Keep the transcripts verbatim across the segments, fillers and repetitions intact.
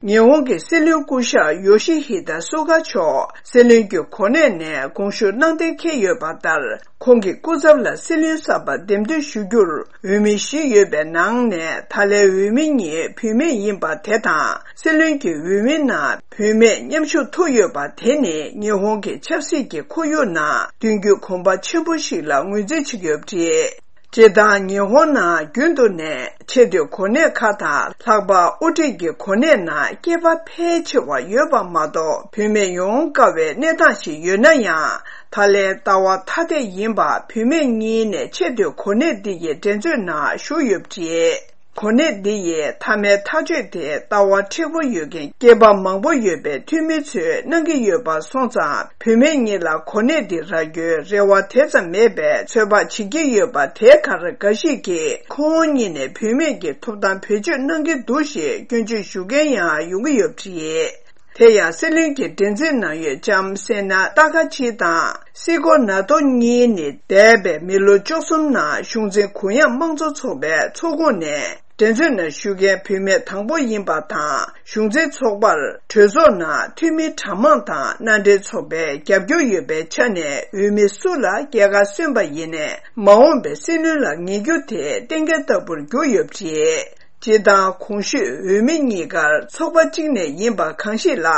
ཉི་ཧོང་གི་སྲིད་བློན་སྐུ་ཞབས་ཡོ་ཤི་ཧི་ད་སུ་ག་མཆོག་སྲིད་བློན་གྱི་གོ་གནས་ནས་དགོངས་ཞུ་གནང་གཏན་འཁེལ་ཡོད་པ་ལྟར། ཁོང་གི་སྐུ་ཚབ་ལ་སྲིད་བློན་གསར་པ་འདེམས་ཐོན་ཞུ་རྒྱུར་འོས་མི་བཞི་ཡོད་པའི་ནང་ནས། ད་ལན་འོས་མི་གཉིས་བུད་མེད་ཡིན་པ་དེ་དང་། སྲིད་བློན་གྱི་འོས་མིའི་ནང་བུད་མེད་མཉམ་ཞུགས་ཐུབ་ཡོད་པ་དེ་ནི་ཉི་ཧོང་གི་ཆབ་སྲིད་ཀྱི་ཁོར་ཡུག་ནང་མདུན་སྐྱོད་གོམ་པ་ཆེན་པོ་ཞིག་ལ་ངོས་འཛིན་བྱེད་ཀྱི་ཡོད་པ་རེད། སྤྱིར་བཏང་ཉི་ཧོང་ནང་རྒྱུན་དུ་ནས་ཆེས་མཐོའི་གོ་གནས་ཁག་དང་། ལྷག་པར་དབུ་ཁྲིད་ཀྱི་གོ་གནས་ནང་སྐྱེས་པ་ཕལ་ཆེ་བ་ཡོད་པ་མ་གཏོགས། བུད་མེད་ཡོང་དཀའ་བའི་གནས་སྟངས་ཤིག་ཡོད་ན་ཡང་། ད་ལན་ལྟ་བ་ཐ་དད་ཡིན་པ་བུད་མེད་གཉིས་ནས་ཆེས་མཐོའི་གོ་གནས་འདི་ཡི་འགྲན་རྩོད་ནང་ཞུགས་ཡོད་པ་རེད། གོ་གནས་འདི་ཡི་མཐའ་མའི་ཐག་གཅོད་དེ་ལྟ་བ་མཁྲེགས་པོ་ཡོད་མཁན་སྐྱེས་པ་མང་པོ་ཡོད་པའི་འཐུས་མི་ཚོས་གནང་གི་ཡོད་པ་སོང་ཙང་། བུད་མེད་གཉིས་ལ་གོ་གནས་འདི་རག་རྒྱུའི་རེ་བ་དེ་ཙམ་མེད་པའི་ཚོད་དཔག་བྱེད་ཀྱི་ཡོད་པ་དེ་གར། འགའ་ཞིག་གིས་ཁོང་གཉིས་ནས་བུད་མེད་ཀྱི་ཐོབ་ཐང་བེད་སྤྱོད་གནང་གི་འདུག་ཞེས་སྐྱོན་བརྗོད་ཞུ་མཁན་ཡང་ཡོང་གི་ཡོད་པ་རེད། དེ་ཡང་སྲིད་བློན་གྱི་འགྲན་རྩོད་ནང་ཡོད་ལྕམ་སེ་ན་ཏཱ་ཀ་ཆི་དང་སི་ཀོ་ན་ཏོ་གཉིས་ནི་འདས་པའི་མི་ལོ་བཅུ་གསུམ་ནང་གཞུང་འཛིན་གུ་ཡངས་དམངས་གཙོ་ཚོགས་པའི་ཚོགས་ཁོངས་ནས་འགྲན་རྩོད་ནང་ཞུགས་མཁན་བུད་མེད་དང་པོ་ཡིན་པ་དང་། གཞུང་འཛིན་ཚོགས་པར་གྲོས་ཚོགས་ནང་འཐུས་མི་གྲངས་མང་དང་མནའ་འབྲེལ་ཚོགས་པའི་རྒྱབ་སྐྱོར་ཡོད་པའི་ཆ་ནས། འོས་མི་སུ་ལ་རྒྱལ་ཁ་སོན་པ་ཡིན་ནའི་མ་འོངས་པའི་སྲིད་བློན་ལ་ངེས་རྒྱུ་དེ་གཏན་འཁེལ་ལྟ་བུར་གྱུར་ཡོད་པ་རེད། སྤྱིར་བཏང་གོང་ཞུས་འོས་མི་གཉིས་ཀར་ཚོགས་པ་གཅིག་ནས་ཡིན་པ་གང་ཞིག་ལ་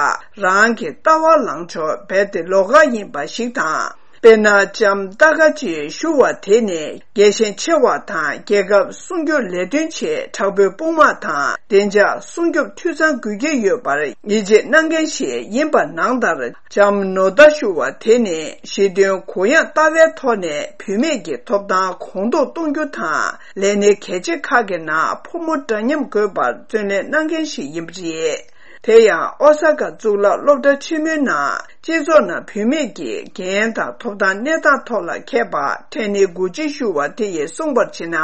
རང་གི་ལྟ་བ་ལངས་ཕྱོགས་རྦད་དེ་ལོགས་ཀ་ཡིན་པ་ཞིག་དང་། དཔེར་ན། ལྕམ་ཏཱ་ཀ་ཆི་ཞུ་བ་དེ་ནི་རྒྱལ་ཞེན་ཆེ་བ་དང་། རྒྱལ་ཁབ་སྲུང་སྐྱོབ་ལས་དོན་ཆེད་དྲག་པོའི་དཔུང་དམག་དང་བདེ་འཇགས་སྲུང་སྐྱོབ་འཐུས་ཚང་དགོས་ཀྱི་ཡོད་པར་ཡིད་ཆེས་གནང་མཁན་ཞིག་ཡིན་པ་ནང་ལྟར། ལྕམ་ནོ་ཏཱ་ཞུ་བ་དེ་ནི་གཞི་རྟེན་གུ་ཡངས་ལྟ་བའི་ཐོག་ནས་བུད་མེད་ཀྱི་ཐོབ་ཐང་གོང་མཐོར་གཏོང་རྒྱུ་དང་། ལས་སྣེ་གལ་ཆེ་ཁག་གི་ནང་ཕོ་མོ་འདྲ་མཉམ་དགོས་པར་བརྩོན་ལེན་གནང་མཁན་ཞིག་ཡིན་པ་རེད། དེ་ཡང་ཨོ་ས་ཀ་གཙུག་ལག་སློབ་གྲྭ་ཆེན་མོའི་ནང་སྤྱི་ཚོགས་ནང་བུད་མེད་ཀྱི་འགན་དང་ཐོབ་ཐང་གནས་སྟངས་ཐོག་ལ་མཁས་པ་ཐེ་ནི་གུ་ཅི་ཞུ་བ་དེ་ཡིས་གསུངས་པར་བྱས་ན།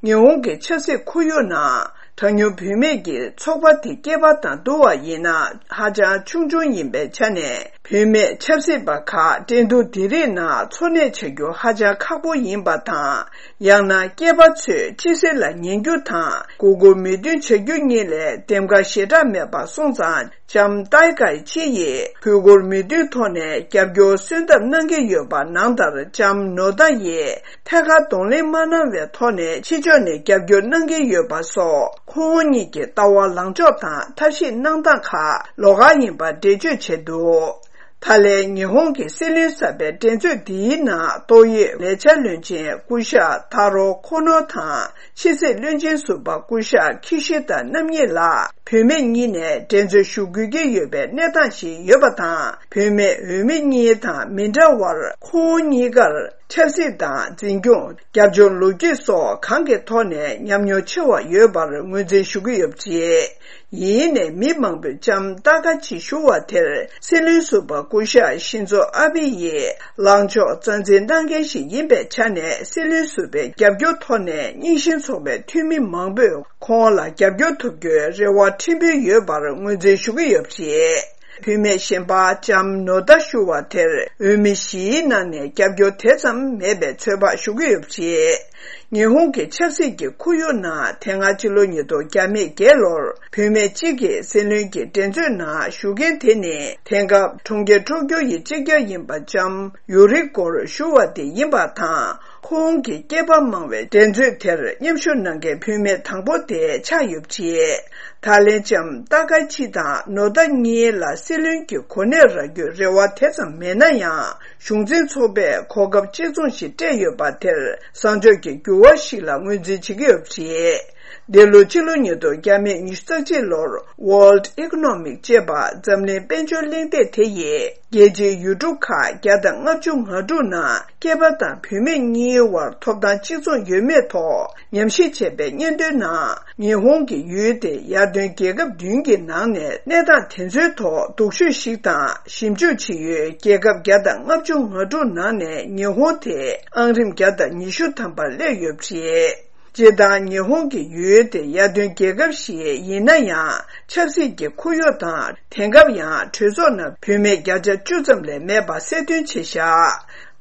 ཉི་ཧོང་གི་ཆབ་སྲིད་ཁོར་ཡུག་ནང་གྲངས་ཉུང་བུད་མེད་ཀྱི་ཚོགས་པ་དེ་སྐྱེས་པ་དང་བསྡུར་བ་ཡིན་ན་ཧ་ཅང་ཆུང་ཆུང་ཡིན་པའི་ཆ་ནས། བུད་མེད་ཆབ་སྲིད་པ་ཁག་འགྲན་བསྡུར་འདི་རིགས་ནང་འཚོ་གནས་བྱ་རྒྱུ་ཧ་ཅང་ཁག་པོ་ཡིན་པ་དང་། ཡང་ན་སྐྱེས་པ་ཚོས་ཕྱི་གསལ་ལ་ཉན་རྒྱུ་དང་མགོ་སྒུར་མོས་མཐུན་བྱ་རྒྱུ་གཉིས་ལས་འདེམས་ཀ་ཞེ་དྲག་མེད་པ་སོང་ཙང་། ལྕམ་ཏཱི་ཀའི་ཆི་ཡིས་གུས་བཀུར་མོས་མཐུན་ཐོག་ནས་རྒྱབ་སྐྱོར་གསོལ་ཐབས་གནང་གི་ཡོད་པ་ནང་ལྟར། ལྕམ་ནོ་ཏཱ་ཡིས་ཐད་ཀར་གདོང་ལེན་མ་གནང་བའི་ཐོག་ནས་ཕྱི་ཕྱོགས་ནས་རྒྱབ་སྐྱོར་གནང་གི་ཡོད་པ་སོགས། ཁོང་གཉིས་ཀྱི་ལྟ་བ་ལངས་ཕྱོགས་དང་ཐབས་ཤེས་གནང་སྟངས་ཁག་ལོགས་ཀ་ཡིན་པ་འགྲེལ་བརྗོད་བྱས་འདུག་ད་ལན་ཉི་ཧོང་གི་སྲིད་བློན་གསར་པའི་འགྲན་རྩོད་འདིའི་ནང་ཏོག་དབྱིབས་ལས་འཆར་བློན་ཆེན་སྐུ་ཞབས་ཐ་རོ་ཁོ་ནོ་དང་། ཕྱི་སྲིད་བློན་ཆེན་ཟུར་པ་སྐུ་ཞབས་ཁི་ཤི་ད་རྣམ་གཉིས་ལ་བུད་མེད་གཉིས་ནས་འགྲན་རྩོད་ཞུ་དགོས་ཀྱི་ཡོད་པའི་གནས་སྟངས་ཤིག་ཡོད་པ་དང་། བུད་མེད་འོས་མི་གཉིས་དང་མི་འདྲ་བར། ཁོང་གཉིས་ཀར་ཆབ་སྲིད་དང་འཛིན་སྐྱོང་། རྒྱབ་ལྗོངས་ལོ་རྒྱུས་སོགས་གང་གི་ཐོག་ནས་ཉམས་མྱོང་ཆེ་བ་ཡོད་པར་ངོས་འཛིན་ཞུ་གི་ཡོད་པ་རེད། ཡིན་ནའི་མི་མང་པོས་ལྕམ་ཏཱ་ཀ་ཆི་ཞུ་བ་དེར་སྲིད་བློན་ཟུར་པ་སྐུ་ཞབས་ཤིན་ཛོ་ཨ་བྷེ་ཡིས་ལངས་ཕྱོགས་རྩ་འཛིན་གནང་མཁན་ཞིག་ཡིན་པའི་ཆ་ནས། སྲིད་བློན་ཟུར་པའི་རྒྱབ་སྐྱོར་ཐོག་ནས་རྙིང་ཞེན་ཚོགས་པའི་འཐུས་མི་མང་པོས་ཁོང་ལ་རྒྱབ་སྐྱོར་ཐོབ་རྒྱུའི་རེ་བ་ཕྲན་བུ་ཡོད་པར་ངོས་འཛིན་ཞུ་གི་ཡོད་པ་རེད། བུད་མེད་གཞན་པ་ལྕམ་ནོ་ཏཱ་ཞུ་བ་དེར་འོས་མི་བཞིའི་ནང་ནས་རྒྱབ་སྐྱོར་དེ་ཙམ་མེད་པའི་ཚོད་དཔག་ཞུ་གི་ཡོད་པ་རེད། ཉི་ཧོང་གི་ཆབ་སྲིད་ཀྱི་ཁོར་ཡུག་ནང་དེ་སྔ་ཕྱི་ལོ་ཉིས་སྟོང་བརྒྱ་མེད་བརྒྱད་ལོར་བུད་མེད་གཅིག་གིས་སྲིད་བློན་གྱི་འགྲན་རྩོད་ནང་ཞུགས་མཁན་དེ་ནི། དེང་སྐབས་གྲོང་ཁྱེར་ཊོ་ཀྱོ་ཡི་སྤྱི་ཁྱབ་ཡིན་པ་ལྕམ་ཡུ་རི་ཀོར་ཞུ་བ་དེ་ཡིན་པ་དང་། ཁོང་གིས་སྐྱེས་པ་མང་བའི་འགྲན་རྩོད་དེར་མཉམ་ཞུགས་གནང་མཁན་བུད་མེད་དང་པོ་དེ་ཆགས་ཡོད་པ་རེད། ད་ལན་ལྕམ་ཏཱ་ཀ་ཆི་དང་ནོ་ཏཱ་གཉིས་ལ་སྲིད་བློན་གྱི་གོ་གནས་རག་རྒྱུའི་རེ་བ་དེ་ཙམ་མེད་ན་ཡང་། གཞུང་འཛིན་ཚོགས་པས་གོ་སྐབས་གཅིག་མཚུངས་ཤིག་སྤྲད་ཡོད་པ་དེར་བཟང་ཕྱོགས་ཀྱི་འགྱུར་བ་ཞིག་ལ་ངོས་འཛིན་བྱེད་ཀྱི་ཡོད་པ་རེད། འདི་ལོ་ཕྱི་ལོ་ཉིས་སྟོང་བརྒྱ་མེད་ཉི་ཤུ་རྩ་གཅིག་ལོར་World Economic ཅེས་པ་འཛམ་གླིང་དཔལ་འབྱོར་གླེང་སྟེགས་དེ་ཡིས། རྒྱལ་སྤྱིའི་ཡུལ་གྲུ་ཁག་བརྒྱ་དང་ལྔ་བཅུ་ང་དྲུག་ནང་སྐྱེས་པ་དང་བུད་མེད་གཉིས་བར་ཐོབ་ཐང་གཅིག་མཚུངས་ཡོད་མེད་ཐོག་ཉམས་ཞིབ་བྱས་པའི་སྙན་ཐོའི་ནང་། ཉི་ཧོང་གི་ཡུལ་དེ་ཡར་ཐོན་རྒྱལ་ཁབ་བདུན་གྱི་ནང་ནས་གནས་སྟངས་དེ་ཚོའི་ཐོག་སྡུག་ཤོས་ཤིག་དང་། ཞིབ་འཇུག་བྱེད་ཡུལ་རྒྱལ་ཁབ་བརྒྱ་དང་ལྔ་བཅུ་ང་དྲུག་ནང་ནས་ཉི་ཧོང་དེ་ཨང་རིམ་བརྒྱ་དང་ཉི་ཤུ་ཐམ་པར་སླེབས་ཡོད་པ་རེད། སྤྱིར་བཏང་ཉི་ཧོང་གི་ཡུལ་དེ་ཡར་ཐོན་རྒྱལ་ཁབ་ཞིག་ཡིན་ན་ཡང་། ཆབ་སྲིད་ཀྱི་ཁོར་ཡུག་དང་། དེང་སྐབས་ཡང་གྲོས་ཚོགས་ནང་བུད་མེད་བརྒྱ་ཆ་བཅུ་ཙམ་ལས་མེད་པ་གསལ་སྟོན་བྱས་བཞག་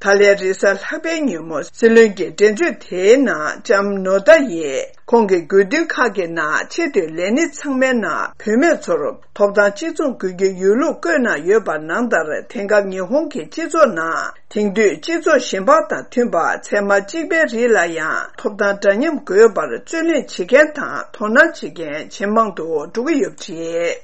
ད་ལན་རེས་གཟའ་ལྷག་པའི་ཉིན་མོ་སྲིད་བློན་གྱི་འགྲན་བརྗོད་དེའི་ནང་ལྕམ་ནོ་ད་ཡིས་ཁོང་གི་དགོས་འདུན་ཁག་གི་ནང་ཆེས་མཐོའི་ལས་སྣེ་ཚང་མའི་ནང་བུད་མེད་ཚོར་ཐོབ་ཐང་གཅིག་མཚུངས་དགོས་ཀྱི་ཡོད་ལུགས་བཀོད་གནང་ཡོད་པ་ནང་ལྟར། དེང་སྐབས་ཉི་ཧོང་གི་སྤྱི་ཚོགས་ནང་དེང་དུས་སྤྱི་ཚོགས་གཞན་པ་དང་མཐུན་པར་ཚད་མ་གཅིག་པའི་རིགས་ལ་ཡང་ཐོབ་ཐང་འདྲ་མཉམ་དགོས་པར་རྩོད་ལེན་བྱེད་མཁན་དང་དོ་སྣང་བྱེད་མཁན་ཇེ་མང་དུ་འགྲོ་གི་ཡོད་པ་རེད།